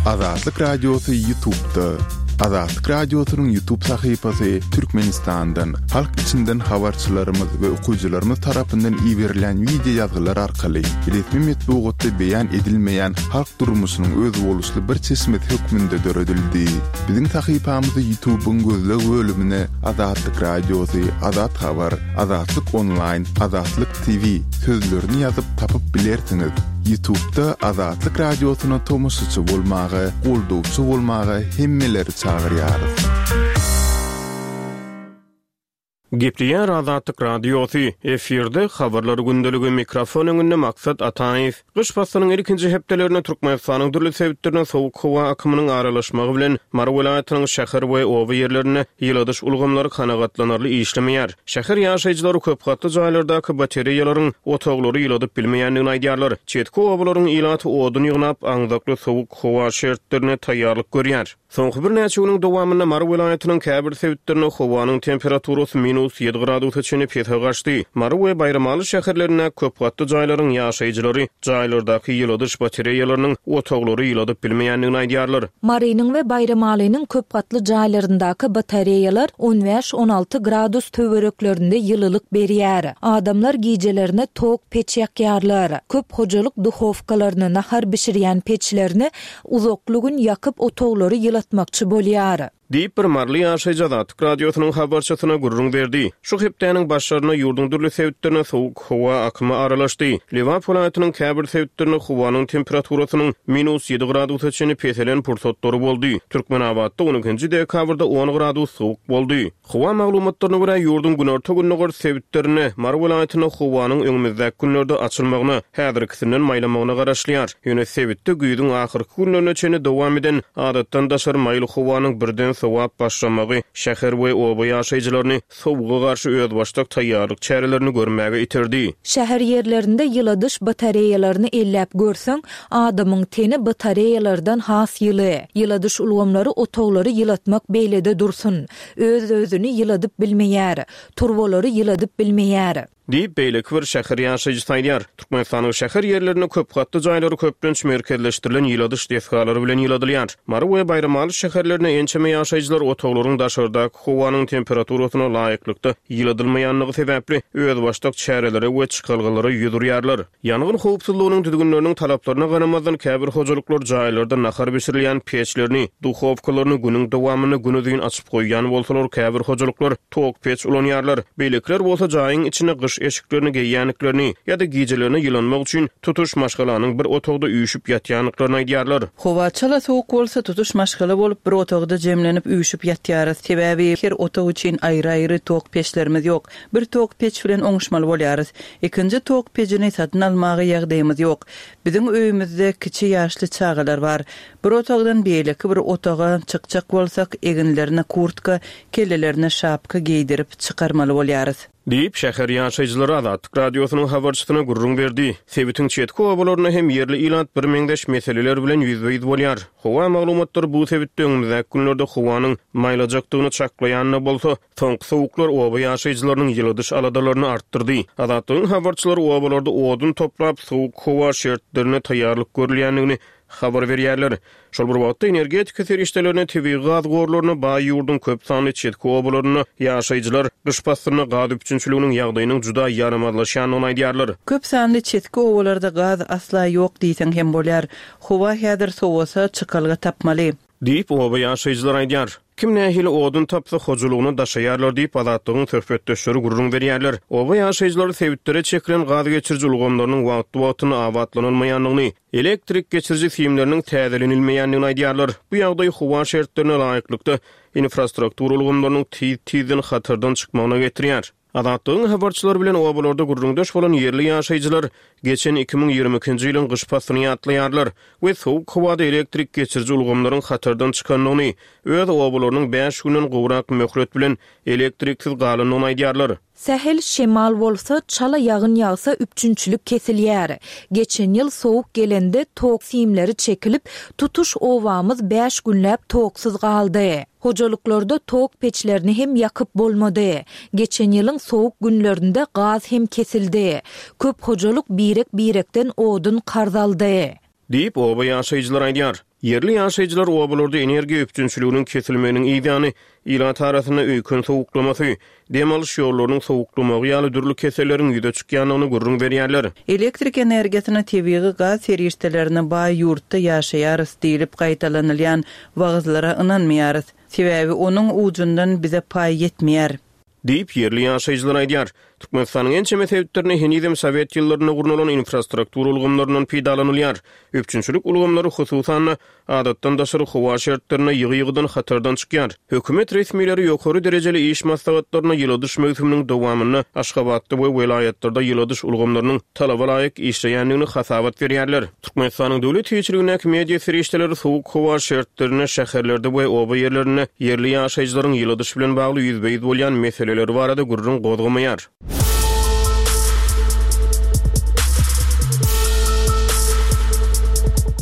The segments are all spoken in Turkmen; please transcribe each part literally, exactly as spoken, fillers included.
Azatlyk Radiosy YouTube'da. Azatlyk Radiosynyň YouTube sahypasy Türkmenistandan, halk içinden habarçylarymyz we okyjylarymyz tarapyndan iberilen wideo ýazgylar arkaly resmi metbugatda beýan edilmeýän halk durmuşynyň özboluşly bir çeşmesi hökmünde döredildi. Biziň sahypamyzy YouTube'yň gözleg bölümine Azatlyk Radiosy, Azat Habar, Azatlyk Online, Azatlyk T V sözlerini ýazyp tapyp bilersiňiz. YouTube'da Azatlyk Radiosyna tomaşaçy bolmaga, goldawçy bolmaga hemmeleri çagyrýarys. Gepleýär Azatlyk Radiosy, efirde habarlar gündeligi, mikrofon öňünde Maksat Ataýew. Gyş paslynyň ilkinji hepdelerinde Türkmenistanyň dürli sebitlerine sowuk howa akymynyň aralaşmagy bilen Mary welaýatynyň şäher we oba ýerlerinde ýyladyş ulgamlary kanagatlanarly işlemeýär. Şäher ýaşaýjylary köp gatly jaýlardaky batareýalaryň otaglary ýyladyp bilmeýändigini aýdýarlar. Çetki obalaryň ilaty odun ýygnap, aňzakly sowuk howa şertlerine taýýarlyk görýär. Soňky birnäçe günüň dowamynda Mary welaýatynyň käbir sebitlerinde howanyň temperaturasy minus ýedi gradusa çenli pese gaçdy. Mary we Baýramaly şäherlerinde köp gatly jaýlaryň ýaşaýjylary jaýlardaky ýyladyş batareýalarynyň otaglary ýyladyp bilmeýändigini aýdýarlar. Marynyň we Baýramalynyň köp gatly jaýlaryndaky batareýalar on bäş on alty gradus töwereklerinde ýylylyk berýär. Adamlar gijelerine tok peç ýakýarlar. Köp hojalyk duhowkalaryny, nahar bişirýän peçlerini uzakly gün ýakyp otaglary ýylatmakçy bolýar. Diýip bir Maryly ýaşaýjy Azatlyk Radiosynyň habarçysyna gürrüň berdi. Şu hepdäniň başlaryna ýurduň dürli sebitlerine sowuk howa akymy aralaşdy. Lebap welaýatynyň käbir sebitlerinde howanyň temperaturasynyň minus ýedi gradusa çenli peselen pursatlary boldy. Türkmenabatda on ikinji dekabrda on gradus sowuk boldy. Howa maglumatlaryna görä ýurduň günorta-gündogar sebitlerinde Mary welaýatynda howanyň öňümizdäki günlerde açylmagyna, häzirkisinden maýlamagyna garaşylýar. Ýöne sebitde güýzüň ahyrky günlerine çenli dowam eden adatdan daşary maýyl howanyň birden sowap başlamagy şäher we oba ýaşaýjylaryny sowuga garşy özbaşdak taýýarlyk çärelerini görmäge iterdi. Şäher ýerlerinde ýyladyş batareýalaryny elläp görseň, adamyň teni batareýalardan has ýyly. Ýyladyş ulgamlary otaglary ýylatmak beýlede dursun. Öz-özüni ýyladyp bilmeýär. Turbalary ýyladyp bilmeýär. Diýip beýleki bir şäher ýaşaýjysy aýdýar. Türkmenistanyň şäher ýerlerinde köp gatly jaýlary köplenç merkezleşdirilen ýyladyş desgalary bilen ýyladylýar. Mary we Baýramaly şäherlerinde ençeme ýaşaýjylar otaglaryň daşardaky howanyň temperaturasyna laýyklykda ýyladylmaýanlygy sebäpli özbaşdak çärelere we çykalgalara ýüz urýarlar. Ýangyn howpsuzlygynyň düzgünleriniň talaplaryna garamazdan käbir hojalyklar jaýlarda nahar bişirilýän peçlerini, duhowkalaryny günüň dowamynda günuzyn açyp goýýan bolsalar, käbir hojalyklar tok peç ulanýarlar. Beýlekiler bolsa jaýyň içine gyş eşiklerini geýýäniklerini ýa-da gijelerini ýylanmak üçin tutuş maşgalanyň bir otagda üýşüp ýatýandyklaryny aýdýarlar. Howa çala sowuk bolsa tutuş maşgala bolup bir otagda jemlenip üýşüp ýatýarys. Sebäbi her otag üçin aýry-aýry tok peçlerimiz ýok. Bir tok peç bilen oňuşmaly bolýarys. Ikinji tok pejini satyn almaga ýagdaýymyz ýok. Biziň öýümizde kiçi ýaşly çagalar bar. Bir otagdan beýleki bir otaga çykjak bolsak, eginlerine kurtka, kellelerine şapka geýdirip çykarmaly bolýarys. Diýip şäher ýaşaýjylary Azatlyk Radiosynyň habarçysyna gürrüň berdi. Sebitiň çetki obalarynda hem ýerli ilat birmeňzeş meseleler bilen ýüzbe-ýüz bolýar. Howa maglumatlary bu sebitde öňümizdäki günlerde howanyň maýlajakdygyny çaklaýan bolsa, soňky sowuklar oba ýaşaýjylarynyň ýyladyş aladalaryny artdyrdy. Azatlygyň habarçylary obalarda odun toplap, sowuk howa şertlerine taýýarlyk görülýändigini habar berýärler. Şol bir wagtda energetika serişdelerine, tebigy gaz gorlaryna baý ýurduň köp sanly çetki obalarynda ýaşaýjylar gyş paslynda gaz üpjünçiliginiň ýagdaýynyň juda ýaramazlaşýandygyny aýdýarlar. Köp sanly çetki obalarda gaz asla ýok diýseň hem bolýar. Howa häzir sowasa çykalga tapmaly. Diýip oba ýaşaýjylar aýdýar. Kim nähili odun tapsa hojalygyny daşaýarlar diýip Azatlygyň söhbetdeşleri gürrüň berýärler. Oba ýaşaýjylary sebitlere çekilen gaz geçiriji ulgamlarynyň wagtly-wagtynda abatlanylmaýandygyny, elektrik geçiriji simleriniň täzelenilmeýändigini aýdýarlar. Bu ýagdaý howa şertlerine laýyklykda infrastruktura ulgamlarynyň tiz-tizden hatardan çykmagyna getirýär. Azatlygyň habarçylary bilen obalarda gürrüňdeş bolan ýerli ýaşaýjylar geçen iki müň ýigrimi ikinji ýylyň gyş paslyny ýatlaýarlar we sowuk howada elektrik geçiriji ulgamlaryň hatardan çykandygyny, öz obalarynyň bäş günden gowrak möhlet bilen elektriksiz galandygyny aýdýarlar. Sähel şemal bolsa, çala ýagyn ýagsa üpjünçilik kesilýär. Geçen ýyl sowuk gelende tok simleri çekilip, tutuş obamyz bäş günläp toksuz galdy. Hojalyklarda tok peçlerini hem ýakyp bolmady. Geçen ýylyň sowuk günlerinde gaz hem kesildi. Köp hojalyk birek-birekden odun karz aldy. Diýip oba ýaşaýjylar aýdýar. Ýerli ýaşaýjylar obalarda energiýa üpjünçiliginiň kesilmeginiň ýany ilat arasynda öýkün sowuklamasy, dem alyş ýollarynyň sowuklamagy ýaly dürli keselleriň ýüze çykýandygyny gürrüň berýärler. Elektrik energiýasyna tebigy gaz serişdelerine baý ýurtda ýaşaýarys diýlip gaýtalanylýan wagyzlara ynanmaýarys. Sebäbi onuň ujundan bize paý ýetmeýär. Diýip ýerli ýaşaýjylar aýdýar. Türkmenistanyň ençeme sebitlerinde henizem Sowet ýyllarynda gurnalan infrastruktura ulgamlaryndan peýdalanylýar. Üpjünçilik ulgamlary hususan adatdan daşary howa şertlerinde ýygy-ýygydan hatardan çykýar. Hökümet resmileri ýokary derejeli iş maslahatlaryna ýyladyş möwsüminiň dowamynda Aşgabatda we welaýatlarda ýyladyş ulgamlarynyň talaba laýyk işleýändigini hasabat berýärler. Türkmenistanyň döwlet eýeçiligindäki media serişdeleri sowuk howa şertlerinde şäherlerde we oba ýerlerinde ýerli ýaşaýjylaryň ýyladyş bilen bagly ýüzbe-ýüz bolýan meseleleri barada gürrüň gozgamaýar.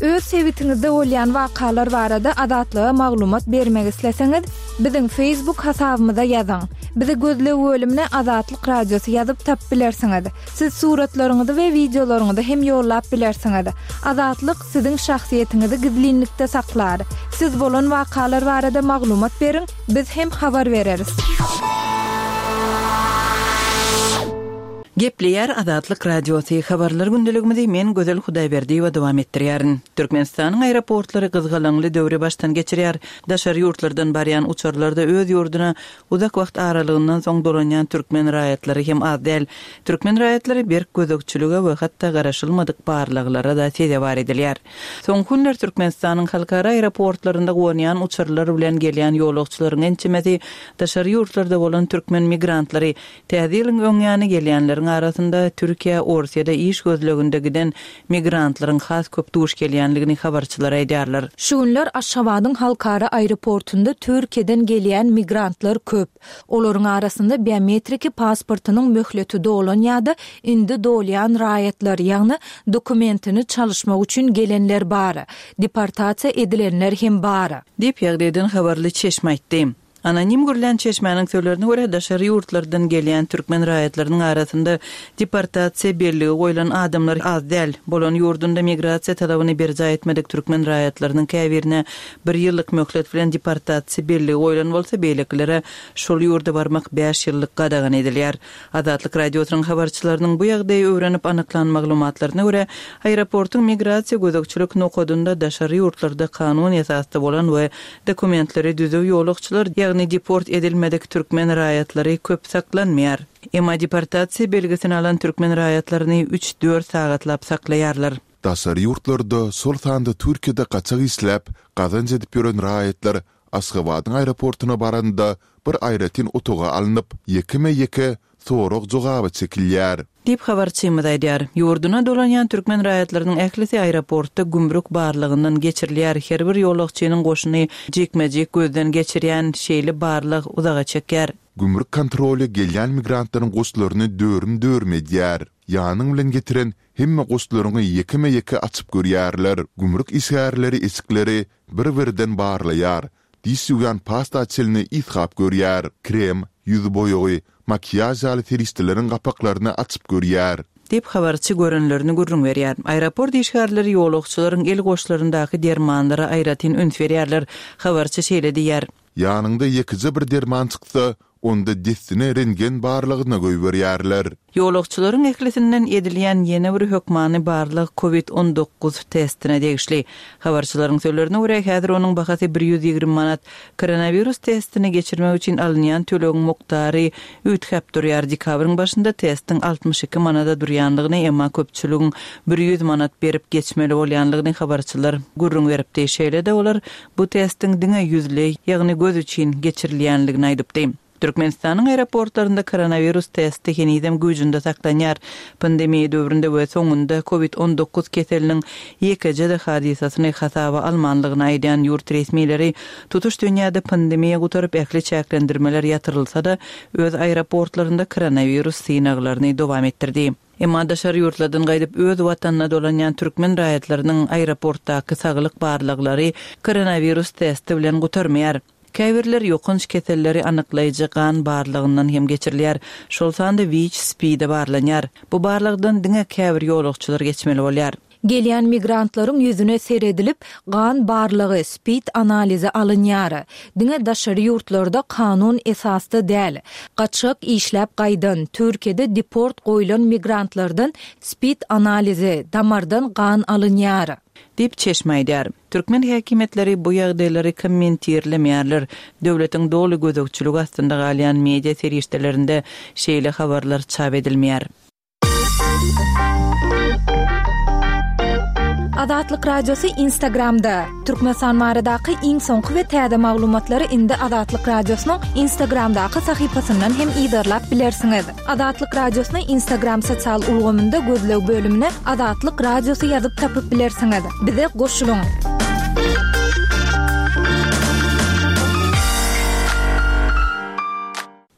Öz sebitiňizde bolýan wakalar barada Azatlyga maglumat bermek isleseňiz, biziň Facebook hasabymyza ýazyň. Bizi gözleg bölümine Azatlyk Radiosy ýazyp tap bilersiňiz. Siz suratlaryňyzy we wideolaryňyzy hem ýollap bilersiňiz. Azatlyk siziň şahsyýetiňizi gizlinlikde saklar. Siz bolan wakalar barada maglumat beriň, biz hem habar bereris. Gepleýär Azatlyk Radiosy habarlar gündeligimizi men Gözel Hudaýberdiýewa dowam etdirýärin. Türkmenistanyň aeroportlary gyzgalaňly döwri başdan geçirýär. Daşary ýurtlardan barýan uçarlarda öz ýurduna uzak wagt aralygyndan soň dolanýan türkmen raýatlary hem az däl. Türkmen raýatlary berk gözegçilige we hatda garaşylmadyk barlaglara da sezewar edilýär. Soňky günler Türkmenistanyň halkara aeroportlarynda gonýan uçarlar bilen gelýän ýolagçylaryň ençemesi daşary ýurtlarda bolan türkmen migrantlary täze ýylyň öňýany gelýänleriň arasynda Türkiýe, Orsiýada iş gözleginde giden migrantlaryň has köp duş gelýänligini habarçylar aýdýarlar. Şu günler Aşgabadyň halkara aeroportunda Türkiýeden gelýän migrantlar köp. Olaryň arasynda biometriki pasportynyň möhleti dolan ýa-da indi dolýan raýatlar, ýagny dokumentini çalyşmak üçin gelenler bar. Deportasiýa edilenler hem bar. Diýip ýagdaýdan habarly çeşme aýtdy. Anonim görülen çeşmäniň sözlerine görä daşary ýurtlardan gelýän türkmen raýatlarynyň arasynda deportasiýa belligi goýlan adamlar az däl. Bolan ýurdunda migrasiýa talabyny berjaý etmedik türkmen raýatlarynyň käbirine bir ýyllyk möhlet bilen deportasiýa belligi goýlan bolsa, beýlekilere şol ýurda barmak bäş ýyllyk gadagan edilýär. Azatlyk Radiosynyň habarçylarynyň bu ýagdaýy öwrenip anyklan maglumatlaryna görä, aeroportuň migrasiýa gözegçilik nokadynda daşary ýurtlarda kanun esasda bolan we dokumentleri düzüw ýolagçylar, ýagny deport edilmedik türkmen raýatlary köp saklanmaýar. Emma deportasiýa belgisini alan türkmen raýatlaryny üç-dört sagatlap saklaýarlar. Daşary ýurtlarda, şol sanda Türkiýede gaçak işläp, gazanç edip ýören raýatlar Aşgabadyň aeroportuna baranda bir aýratyn otaga alnyp, ýekeme-ýeke sorag jogaba çekilýär. Diýip habarçymyz aýdýar. Ýurduna dolanýan türkmen raýatlarynyň ählisi aeroportda gümrük barlygyndan geçirilýär. Her bir ýolagçynyň goşuny jikme-jik gözden geçirýän şeýle barlyk uzaga çekýär. Gümrük kontroly gelýän migrantlaryň goşlaryny dörüm-dörüm edýär. Ýanyň bilen getiren hemme goşlaryňy ýekeme-ýeke açyp görýärler. Gümrük işgärleri eşikleri bir-birden barlaýar. Diş ýuwýan pasta çelini ýyghap görýär. Krem, ýüz boýagy, makiýaj ýaly serişdeleriň gapaklaryny açyp görýär. Diýip habarçy görenlerini gürrüň berýär. Aeroport işgärleri ýolagçylaryň el goşlaryndaky dermanlara aýratyn üns berýärler. Habarçy şeýle diýýär. Ýanyňda ýekeje bir derman çyksa, onda dessine rentgen barlygyna goýberýärler. Ýolagçylaryň ählisinden edilýän ýene bir hökmany barlyk COVID on dokuz testine degişli. Habarçylaryň sözlerine görä, häzir onuň bahasy bir ýüz ýigrimi manat. Koronawirus testini geçirmek üçin alynýan tölegiň mukdary üýtgäp durýar. Dekabryň başynda testiň altmyş iki manada durýanlygyny, emma köpçüligiň bir ýüz manat berip geçmeli bolýanlygyny habarçylar gürrüň beripdi. Şeýle-de olar bu testiň diňe ýüzli, ýagny göz üçin geçirilýänligini aýdypdy. Türkmenistanyň aeroportlarynda koronawirus testi henizem güýjünde saklanýar. Pandemiýa döwründe we soňunda COVID on dokuz keseliniň ýekeje-de hadysasyny hasaba almanlygyny aýdýan ýurt resmileri tutuş dünýäde pandemiýa gutaryp ähli çäklendirmeler ýatyrylsa-da öz aeroportlarynda koronawirus synaglaryny dowam etdirdi. Emma daşary ýurtlardan gaýdyp öz watanyna dolanýan türkmen raýatlarynyň aeroportdaky saglyk barlaglary koronawirus testi bilen gutarmaýar. Käbirler ýokanç keselleri anyklaýjy gan barlagyndan hem geçirilýär. Şol sanda WIÇ SPID-e barlanýar. Bu barlagdan diňe käbir ýolagçylar geçmeli bolýar. Gelýän migrantlaryň ýüzüne seredilip, gan barlagy, spid analizi alynýar. Diňe daşary ýurtlarda kanun esasda däl, gaçgak işläp gaýdan, Türkiýede deport goýlan migrantlardan spid analizi, damardan gan alynýar. Diýip, çeşme aýdýar. Türkmen häkimiýetleri bu ýagdaýlary kommentirlemeýärler. Döwletiň doly gözegçiligi astynda galýan media serişdelerinde şeýle habarlar çap edilmeýär. Azatlyk Radiosy Instagramda. Türkmenistan baradaky iň soňky we täze maglumatlary indi Azatlyk Radiosynyň Instagramdaky sahypasyndan hem yzarlap bilersiňiz. Azatlyk Radiosyny Instagram sosial ulgamynda gözleg bölümine Azatlyk Radiosy ýazyp tapyp bilersiňiz. Bize goşulyň!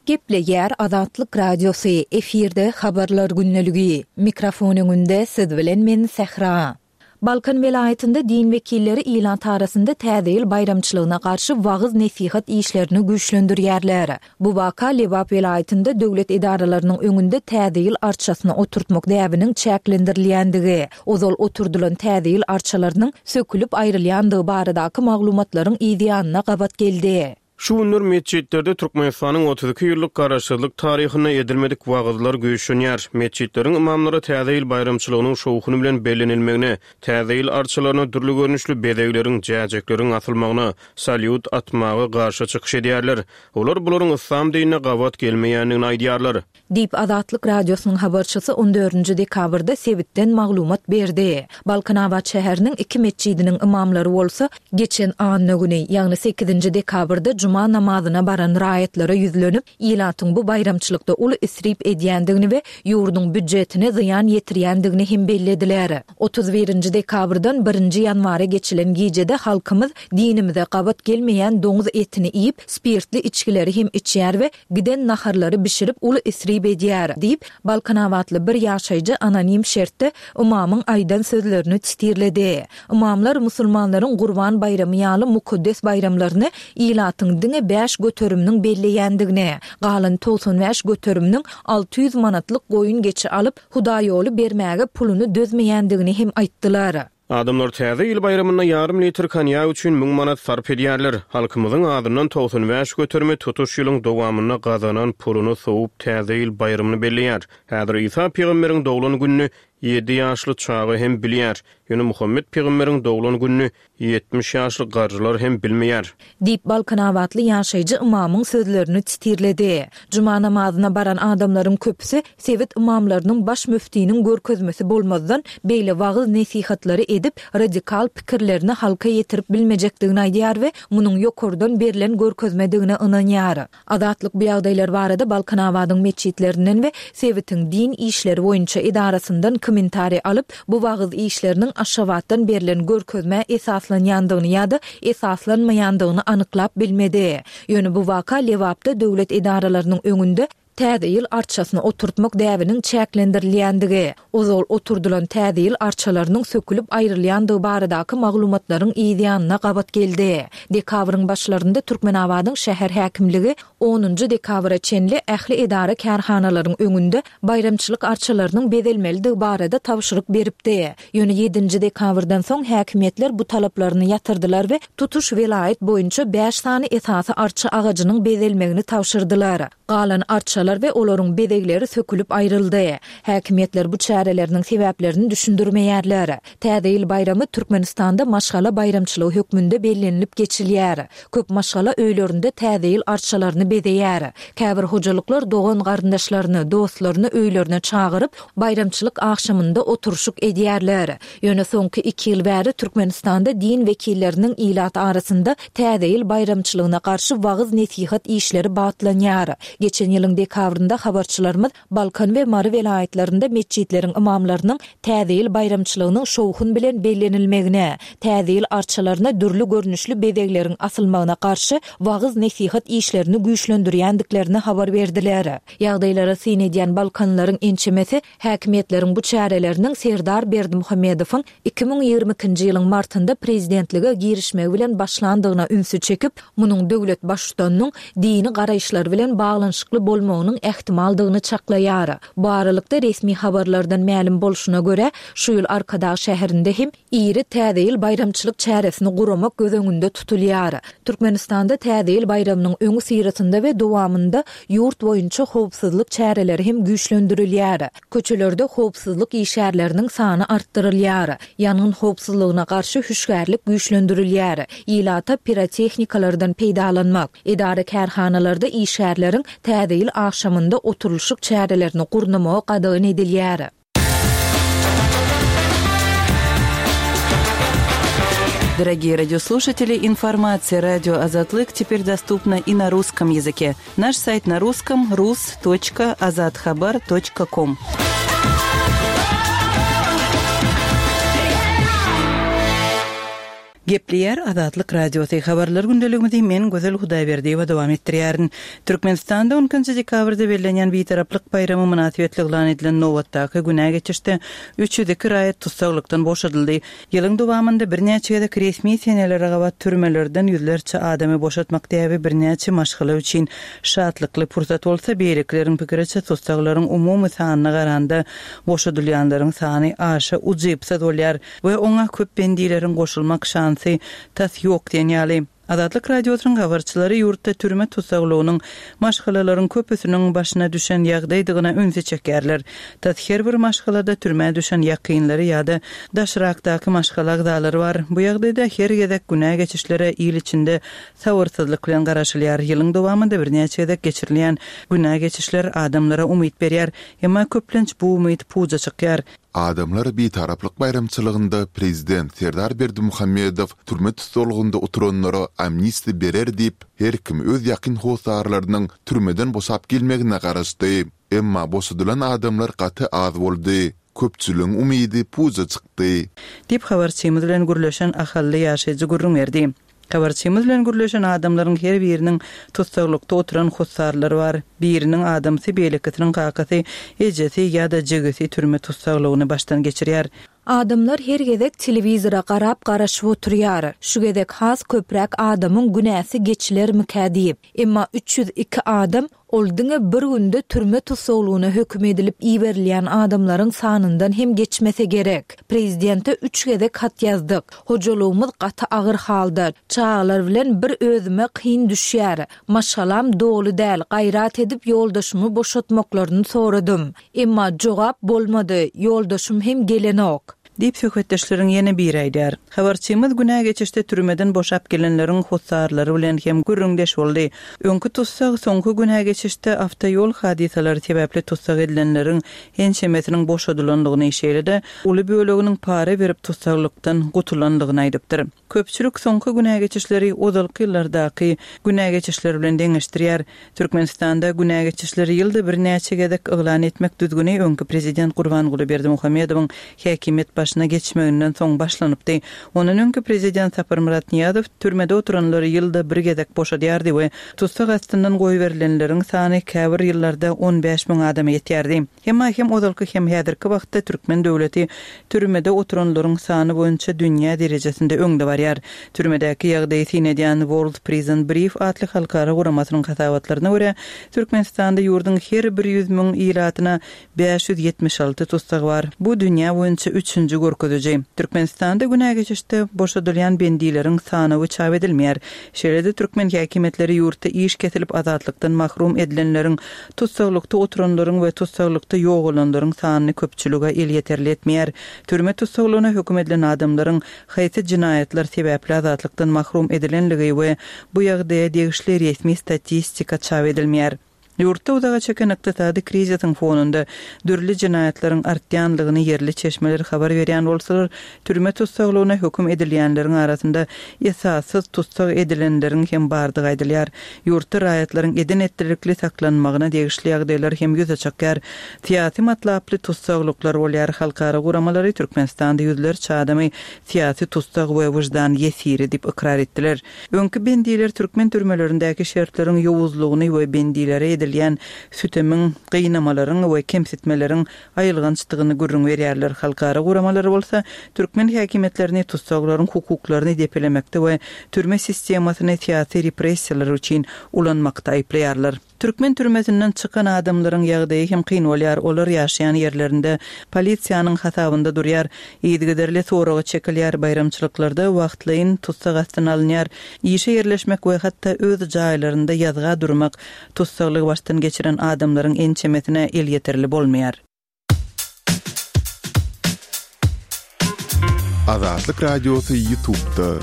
Gepleýär Azatlyk Radiosy, efirde Habarlar gündeligi. Mikrofon öňünde siz bilen men Sähra. Balkan welaýatynda din wekilleri ilat arasynda Täze ýyl baýramçylygyna garşy wagyz-nesihat işlerini güýçlendirýärler. Bu waka Lebap welaýatynda döwlet edaralarynyň öňünde Täze ýyl arçasyny oturtmak däbiniň çäklendirilýändigi, ozal oturdylan Täze ýyl arçalarynyň sökülip aýrylýandygy baradaky maglumatlaryň yzýanyna gabat geldi. Şu günler metjitlerde Türkmenistanyň otuz iki ýyllyk garaşsyzlyk taryhynda edilmedik wagyzlar güýçlenýär. Metjitleriň ymamlary Täze ýyl baýramçylygynyň şowhuny bilen bellenilmegine, Täze ýyl arçalaryna dürli görnüşli bezegleriň, jäjekleriň asylmagyna, salýut atmaga garşy çykyş edýärler. Olar bularyň yslam dinine gabat gelmeýändigini aýdýarlar. Diýip, Azatlyk Radiosynyň habarçysy on dördünji dekabrda sebitden maglumat berdi. Balkanabat şäheriniň iki metjidiniň ymamlary bolsa, geçen anna güni, ýagny sekizinji dekabrda juma namazyna baran raýatlara ýüzlenip, ilatyň bu baýramçylykda uly isrip edýändigini we ýurduň býudjetine zyýan ýetirýändigini hem bellediler. Otuz birinji dekabrdan birinji ýanwara geçilen gijede halkymyz dinimize gabat gelmeýän doňuz etini iýip, spirtli içgileri hem içýär we giden naharlary bişirip uly isrip edýär, diýip, balkanabatly bir ýaşaýjy anonim şertde ymamyň aýdan sözlerini titirledi. Ymamlar musulmanlaryň Gurban baýramy ýaly mukaddes baýramlaryny ilatyň diňe bäş göteriminiň belleýändigini, galan togsan bäş göteriminiň alty ýüz manatlyk goýun-geçi alyp, hudaýýoly bermäge puluny dözmeýändigini hem aýtdylar. Adamlar Täze ýyl baýramynda ýarym litr konýak üçin müň manat sarp edýärler. Halkymyzyň azyndan togsan bäş göterimi tutuş ýylyň dowamynda gazanan puluny sowup Täze ýyl baýramyny belleýär. Häzir Isa pygamberiň doglan gününi ýedi ýaşly çaga hem bilýär. Ýöne Muhammet pygamberiň doglan gününi ýetmiş ýaşly garrylar hem bilmeýär. Diýip, balkanabatly ýaşaýjy ymamyň sözlerini titirledi. Juma namazyna baran adamlaryň köpüsi sebit ymamlarynyň baş müftiniň görkezmesi bolmazdan beýle wagyz-nesihatlary edip, radikal pikirlerini halka ýetirip bilmejekdigini aýdýar we munuň ýokardan berlen görkezmedigine ynanýar. Azatlyk bu ýagdaýlar barada Balkanabadyň metjitlerinden we sebitiň din işleri boýunça edarasyndan kommentariý alyp, bu wagyz işleriniň Aşgabatdan berlen görkezmä esaslanýandygyny ýa-da esaslanmaýandygyny anyklap bilmedi. Ýöne bu waka Lebapda döwlet edaralarynyň öňünde Täze ýyl arçasyny oturtmak däbiniň çäklendirilýändigi, ozal oturdylan Täze ýyl arçalarynyň sökülip aýrylýandygy baradaky maglumatlaryň yzýanyna gabat geldi. Dekabryň başlarynda Türkmenabadyň şäher häkimligi onunjy dekabra çenli ähli edara-kärhanalaryň öňünde baýramçylyk arçalarynyň bezelmelidigi barada tabşyryk beripdi. Ýöne ýedinji dekabrdan soň häkimiýetler bu talaplaryny ýatyrdylar we tutuş welaýat boýunça bäş sany esasy arça agajynyň bezelmegini tabşyrdylar. Galan arçalar we olaryň bezegleri sökülip aýryldy. Häkimiýetler bu çäreleriniň sebäplerini düşündirmeýärler. Täze ýyl baýramy Türkmenistanda maşgala baýramçylygy hökmünde bellenilip geçilýär. Köp maşgala öýlerinde Täze ýyl arçalaryny bezeýär. Käbir hojalyklar dogan-garyndaşlaryny, dostlaryny öýlerine çagyryp, baýramçylyk agşamynda oturyşyk edýärler. Ýöne soňky iki ýyl bäri Türkmenistanda din wekilleriniň ilat arasynda Täze ýyl baýramçylygyna garşy wagyz-nesihat işleri batlanýar. Geçen ýylyň dekabrynda habarçylarymyz Balkan we Mary welaýatlarynda metjitleriň ymamlarynyň Täze ýyl baýramçylygynyň şowhun bilen bellenilmegine, Täze ýyl arçalaryna dürli görnüşli bezegleriň asylmagyna garşy wagyz-nesihat işlerini güýçlendirýärler. güýçlendirýändiklerini habar berdiler. Ýagdaýlara syn edýän Balkanlaryň ençemesi häkimiýetleriň bu çäreleriniň Serdar Berdimuhamedowyň iki müň ýigrimi ikinji ýylyň martynda prezidentlige girişmegi bilen başlandygyna ünsi çekip, munuň döwlet baştutanynyň dini garaýyşlary bilen baglanyşykly bolmagynyň ähtimaldygyny çaklaýar. Bu aralykda resmi habarlardan mälim bolşuna görä, şu ýyl Arkadag şäherinde hem iri Täze ýyl baýramçylyk çäresini guramak göz öňünde tutulýar. Türkmenistanda Täze ýyl baýramynyň öňi syrasynda we dowamynda ýurt boýunça howpsuzlyk çäreleri hem güýçlendirilýär. Köçelerde howpsuzlyk işgärleriniň sany artdyrylýar. Ýangyn howpsuzlygyna garşy hüşgärlik güýçlendirilýär. Ilata pirotehnikalardan peýdalanmak, edara kärhanalarda işgärleriň Täze ýyl agşamynda oturylyşyk çärelerini gurnamagy gadagan edilýär. Дорогие радиослушатели, информация радио Азатлык теперь доступна и на русском языке. Наш сайт на русском рус точка азатхабар точка ком. Gepleýär Azatlyk Radiosy habarlar gündeligimizi men Gözel Hudaýberdiýewa dowam etdirýärin. Türkmenistanda on ikinji dekabrda bellenýän Bitaraplyk baýramy mynasybetli yglan edilen nobatdaky günä geçişde üç ýüz iki raýat tussaglykdan boşadyldy. Ýylyň dowamynda birnäçe gezek resmi senelere gabat türmelerden ýüzlerçe adamy boşatmak däbi birnäçe maşgala üçin şatlykly pursat bolsa, beýlekleriň pikiriçe tussaglaryň umumy sanyna garanda boşadylýanlaryň sany aşa ujypsyz bolýar we oňa köp bendileriň goşulmak şansy tas ýok diýen ýaly. Azatlyk Radiosynyň habarçylary ýurtda türme tussaglygynyň maşgalalaryň köpüsiniň başyna düşen ýagdaýdygyna ünsi çekerler. Tas her bir maşgalada türmä düşen ýakynlary ýa-da daşrakdaky maşgala agzalary bar. Bu ýagdaýda her gezek günä geçişlere il içinde sabyrsyzlyk bilen garaşylýar. Ýylyň dowamynda birnäçe gezek geçirilýän günä geçişler adamlara umyt berýär. Emma köplenç bu umyt puja çykýar. Adamlar Bitaraplyk baýramçylygynda prezident Serdar Berdimuhamedow türme tussaglygynda oturanlara amnistiýa berer diýip, her kim öz ýakyn hossarlarynyň türmeden boşap gelmegine garaşdy. Emma boşadylan adamlar gaty az boldy. Köpçüligiň umydy puja çykdy. Diýip habarçymyz bilen gürleşen ahally ýaşaýjy gürrüň berdi. Habarçymyz bilen gürleşen adamlaryň her biriniň tussaglykda oturan hossarlary bar. Biriniň adamsy, beýlekisiniň kakasy, ejesi ýa-da jigisi türme tussaglygyny başdan geçirýär. Adamlar her gezek telewizora garap garaşyp oturýar. Şu gezek has köpräk adamyň günäsi geçilermikä diýip. Emma üç ýüz iki adam ol diňe bir günde türme tussaglygyna höküm edilip iberilýän adamlaryň sanyndan hem geçmese gerek. Prezidente üç gezek hat ýazdyk. Hojalygymyz gaty agyr halda. Çağlar bilen bir özüme kyn düşýär. Maşgalam doly däl, gaýrat edip ýoldaşymy boşatmaklaryny soradym. Emma jogap bolmady. Ýoldaşym hem gelenok. Diýip söhbetdeşleriň ýene biri aýdar. Habarçymyz günä geçişde türmeden boşap gelenleriň hossarlary bilen hem gürrüňdeş boldy. Öňkü tussag soňky günä geçişde awtoýol hadysalary sebäpli tussag edilenleriň ençemesiniň boşadylandygyny, şeýle-de uly böleginiň para berip tussaglykdan gutulandygyny aýdypdyr. Köpçülik soňky günä geçişleri ozalky ýyllardaky günä geçişleri bilen deňeşdirýär. Türkmenistanda günä geçişleri ýylda birnäçe gezek yglan etmek düzgüni öňkü prezident Gurbanguly Berdimuhamedowyň häkimiýet başyna geçmeginden soň başlanypdy. Ondan öňkü prezident Saparmyrat Nyýazow türmede oturanlary ýylda bir gezek boşadýardy we tussag astyndan goýberilenleriň sany käbir ýyllarda on bäş müň adama ýetýärdi. Emma hem ozalky hem häzirki wagtda türkmen döwleti türmede oturanlaryň sany boýunça dünýä derejesinde öňde barýar. Türmedäki ýagdaýy syn edýän World Prison Brief atly halkara guramasynyň hasabatlaryna görä, Türkmenistanda ýurduň her bir ýüz müň ilatyna bäş ýüz ýetmiş alty tussag bar. Bu dünýä boýunça üçünji görkeziji. Türkmenistanda günä geçişde boşadylýan bendileriň sanawy çap edilmeýär. Şeýle-de türkmen häkimiýetleri ýurtda iş kesilip azatlykdan mahrum edilenleriň, tussaglykda oturanlaryň we tussaglykda ýogalanlaryň sanyny köpçülige elýeterli etmeýär. Türme tussaglygyna höküm edilen adamlaryň haýsy jinaýatlar sebäpli azatlykdan mahrum edilenligi we bu ýagdaýa degişli resmi statistika çap edilmeýär. Ýurtda uzaga çeken ykdysady krizisiň fonunda dürli jenaýatlaryň artýanlygyny ýerli çeşmeler habar berýän bolsalar, türme tussaglygyna höküm edilýänleriň arasynda esassyz tussag edilenleriň hem bardygy aýdylýar. Ýurtda raýatlaryň eden-etdilikli saklanmagyna degişli ýagdaýlar hem ýüze çykýar. Syýasy matlaply tussaglyklar bolýar. Halkara guramalary Türkmenistanda ýüzlerçe adamy syýasy tussag we wyždan ýesiri diýip ykrar etdiler. Öňki bendiler türkmen türmelerindäki şertleriň ýowuzlygyny we bendilere edilýän sütemiň, gynamalaryň we kemsitmeleriň aýylgançdygyny gürrüň berýärler. Halkara guramalary bolsa türkmen häkimiýetlerini tussaglaryň hukuklaryny depelemekde we türme sistemasyny syýasy repressiýalar üçin ulanmakda aýyplaýarlar. Türkmen türmesinden çykan adamlaryň ýagdaýy hem kyn bolýar. Olar ýaşaýan ýerlerinde polisiýanyň hasabynda durýar. Yzygiderli soraga çekilýär, baýramçylyklarda wagtlaýyn tussag astyna alynýar. Işe ýerleşmek we hatda öz jaýlarynda ýazga durmak tussaglygy başdan geçiren adamlaryň ençemesine elýeterli bolmaýar. Azatlyk Radiosy YouTube'da.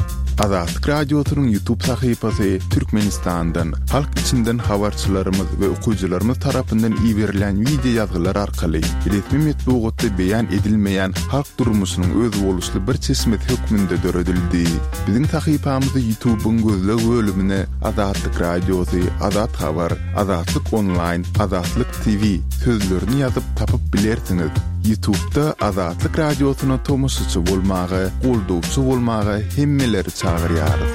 Azatlyk Radiosynyň YouTube sahypasy Türkmenistandan, halk içinden habarçylarymyz we okyjylarymyz tarapyndan iberilen wideo ýazgylar arkaly resmi metbugatda beýan edilmeýän halk durmuşynyň özboluşly bir çeşmesi hökmünde döredildi. Biziň sahypamyzy YouTube'yň gözleg bölümine Azatlyk Radiosy, Azat Habar, Azatlyk Online, Azatlyk T V sözlerini ýazyp tapyp bilersiňiz. YouTube'da Azatlyk Radiosyna tomaşaçy bolmaga, goldawçy bolmaga hemmeleri çagyrýarys.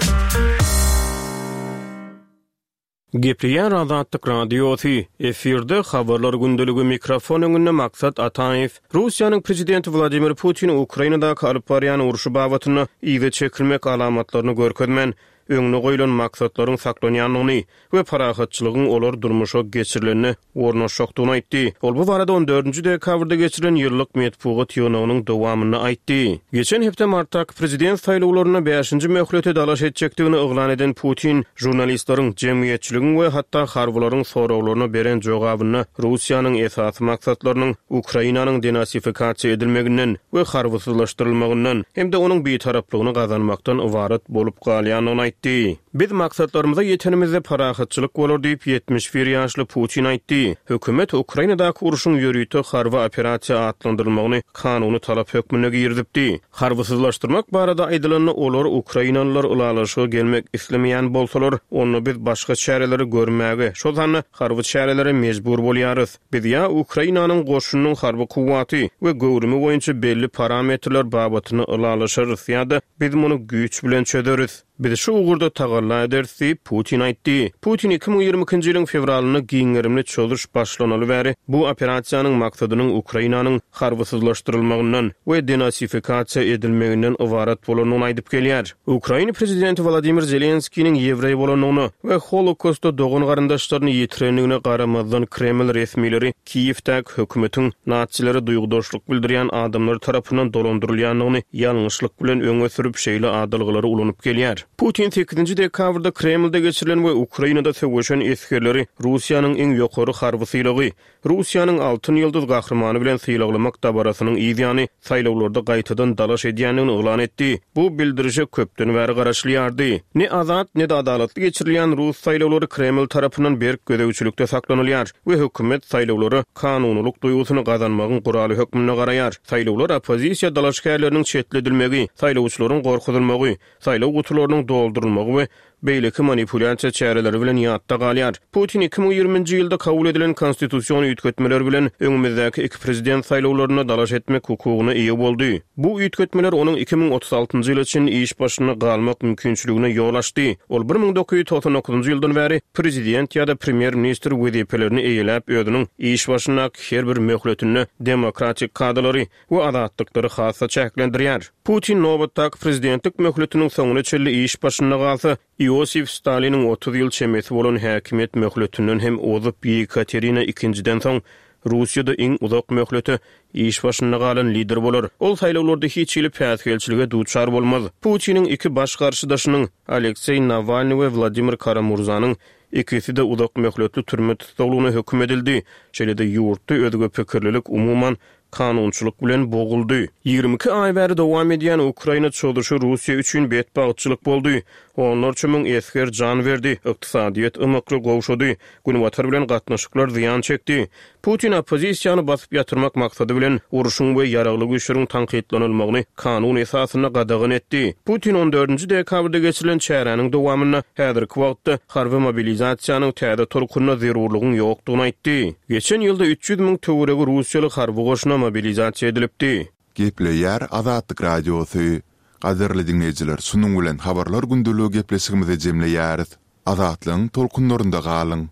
Gepleýär Azatlyk Radiosy, efirde habarlar gündeligi, mikrofon öňünde Maksat Ataýew. Russiýanyň prezidenti Wladimir Putin Ukrainadaky alyp barýan urşy babatynda yza çekilmek alamatlaryny görkezmän, öňüne goýlan maksatlaryň saklanýandygyny we parahatçylygyň olar durmuşa geçirilende ornaşjakdygyny aýtdy. Ol bu barada on dördünji dekabrda geçirilen ýyllyk metbugat ýygnagynyň dowamynda aýtdy. Geçen hepde martdaky prezident saýlawlarynda bäşinji möhlete dalaş etjekdigini yglan eden Putin, žurnalistleriň, jemgyýetçiligiň we hatda harbylaryň soraglaryna beren jogabynda Russiýanyň esasy maksatlarynyň Ukrainanyň denasifikasiýa edilmeginden we harbysyzlaşdyrylmagyndan hem-de onuň bitaraplygyny gazanmakdan ybarat bolup galýandygyny aýtdy. Biz maksatlarymyza ýetenimizde parahatçylyk bolar diýip ýetmiş bir ýaşly Putin aýtdy. Hökümet Ukrainadaky urşuň ýörite harby operasiýa atlandyrylmagyny kanuny talap hökmünde girizipdi. Harbysyzlaşdyrmak barada aýdylanda olar Ukrainalylar ylalaşyga gelmek islemeýän bolsalar, onda biz başga çäreleri görmäge, şol sanda harby çärelere mejbur bolýarys. Biz ýa Ukrainanyň goşunynyň harby kuwwaty we göwrümi boýunça belli parametrler babatyny ylalaşarys ýa-da biz muny güýç bilen çözeris. Biz şu ugurda tagalla ederis diýip Putin aýtdy. Putin iki müň ýigrimi ikinji ýylyň fewralynda giňgerimli çözüş başlanaly bäri bu operasiýanyň maksadynyň Ukrainanyň harbysyzlaşdyrylmagyndan we denasifikasiýa edilmeginden ybarat bolandygyny aýdyp gelýär. Ukraina prezidenti Wladimir Zelenskiniň ýewreý bolandygyna we Holokaustda dogan garyndaşlaryny ýitirendigine garamazdan Kreml resmileri Kiýewdäki hökümetiň natsilere duýgudaşlyk bildirýän adamlar tarapyndan dolandyrylýandygyny ýalňyşlyk bilen öňe sürüp şeýle adalgalary ulanyp gelýär. Putin sekizinji dekabrda Kremlde geçirilen we Ukrainada söweşen esgerleri Russiýanyň iň ýokary harby sylagy, Russiýanyň Altyn Ýyldyz gahrymany bilen sylaglamak dabarasynyň yzýany saýlawlarda gaýtadan dalaş edýändigini yglan etdi. Bu bildirişe köpden bäri garaşylýardy. Ne azat, ne de adalatly geçirilýän Rus saýlawlary Kreml tarapyndan berk gözegçilikde saklanylýar we hökümet saýlawlara kanunylyk duýgusyny gazanmagyň guraly hökmünde garaýar. Saýlawlar oppozisiýa dalaşgärleriniň çetledilmegi, saýlawçylaryň gorkuzylmagy, saýlaw gutularynyň doldurylmagy we beýleki manipulýasiýa çäreleri bilen ýatda galýar. Putin iki müň ýigriminji ýylda kabul edilen konstitusion üýtgetmeler bilen öňümizdäki iki prezident saýlawlarynda dalaş etmek hukugyna eýe boldy. Bu üýtgetmeler onuň iki müň otuz altynjy ýyla çenli iş başynda galmak mümkinçiligine ýol açdy. Ol bir müň dokuz ýüz togsan dokuzynjy ýyldan bäri prezident ýa-da premýer-ministr wezipelerini eýeläp özüniň iş başyndaky her bir möhletinde demokratik kadalary we azatlyklary hassa çäklendirýär. Putin nobatdaky prezidentlik möhletiniň soňuna çenli iş başynda galsa, Iosif Staliniň otuz ýyl çemesi bolan häkimiýet möhletinden hem ozup Yekaterina ikinjiden soň Russiýada iň uzak möhlete iş başynda galan lider bolar. Ol saýlawlarda hiç hili päsgelçilige duçar bolmaz. Putiniň iki baş garşydaşynyň Alekseý Nawalny we Wladimir Karamurzanyň ikisi de uzak möhletli türme tussaglygyna höküm edildi. Şeýle-de ýurtda özge pikirlilik umuman kanunçylyk bilen boguldy. Ýigrimi iki aý bäri dowam edýän Ukraina çozuşy Russiýa üçin betbagtçylyk boldy. Onlarça müň esger jan berdi, ykdysadyýet ymykly gowşady, Günbatar bilen gatnaşyklar zyýan çekdi. Putin oppozisiýany basyp ýatyrmak maksady bilen, urşuň we ýaragly güýçleriň tankytlanylmagyny kanun esasynda gadagan etdi. Putin on dördünji dekabrda geçirilen çäräniň dowamynda häzirki wagtda harby mobilizasiýanyň täze tolkunyna zerurlygyň ýokdugyny aýtdy. Geçen ýylda üç ýüz müň töweregi russiýaly harby goşuna mobilizasiýa edilipdi. Gepleýär Azatlyk Radiosy. Gadyrly diňleýjiler, şunuň bilen Habarlar gündeligi gepleşigimizi jemleýäris. Azatlygyň tolkunlarynda galyň!